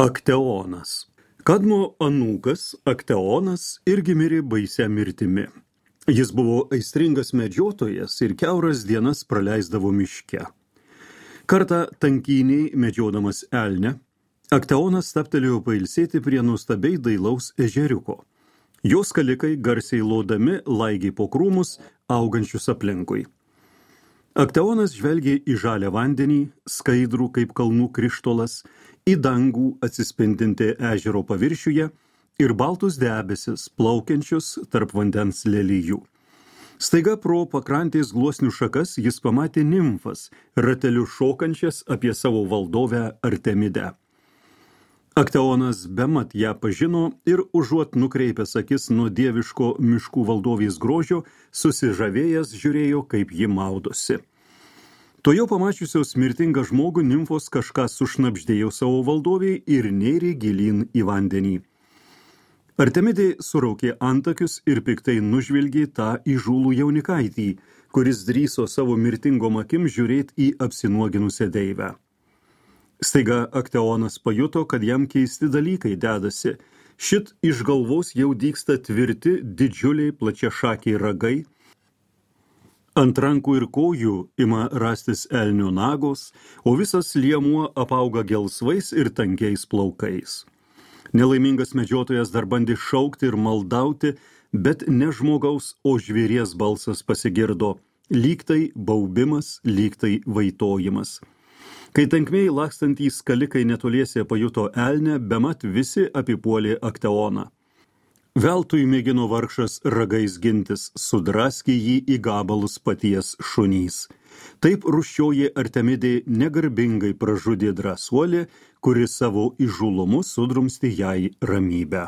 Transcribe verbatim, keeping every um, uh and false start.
Akteonas. Kadmo anūkas Akteonas irgi mirė baisia mirtimi. Jis buvo aistringas medžiotojas ir kiauras dienas praleisdavo miške. Kartą tankyniai medžiodamas elnę, Akteonas stabtelėjo pailsėti prie nuostabiai dailaus ežeriuko. Jos skalikai garsiai lodami laigė po krūmus augančius aplinkui. Akteonas žvelgė į žalią vandenį, skaidrų kaip kalnų krištolas, į dangų atsispindinti ežero paviršiuje ir baltus debesis plaukiančius tarp vandens lelijų. Staiga pro pakrantės gluosnių šakas jis pamatė nimfas, rateliu šokančias apie savo valdovę Artemidę. Akteonas bemat ją pažino ir užuot nukreipęs akis nuo dieviško miškų valdovės grožio, susižavėjęs žiūrėjo, kaip ji maudosi. Tuojau pamačiusios mirtingą žmogų nimfos kažką sušnabždėjo savo valdoviai ir nėrė gilyn į vandenį. Artemidė suraukė antakius ir piktai nužvilgė tą įžūlų jaunikaitį, kuris drįso savo mirtingom akim žiūrėti į apsinuoginusią deivę. Staiga Akteonas pajuto, kad jam keisti dalykai dedasi. Šit iš galvos jau dygsta tvirti, didžiuliai plačiašakiai ragai. Ant rankų ir kojų ima rastis elnio nagos, o visas liemuo apauga gelsvais ir tankiais plaukais. Nelaimingas medžiotojas dar bandė šaukti ir maldauti, bet ne žmogaus, o žvėries balsas pasigirdo. Lygtai baubimas, lygtai vaitojimas. Kai tankmėj lakstantys skalikai netoliese pajuto elnę, bemat visi apipuolė Akteoną. Veltui mėgino vargšas ragais gintis, sudraskė jį į gabalus paties šunys. Taip rūsčioji Artemidė negarbingai pražudė drąsuolį, kuri savo įžūlumu sudrumstė jai ramybę.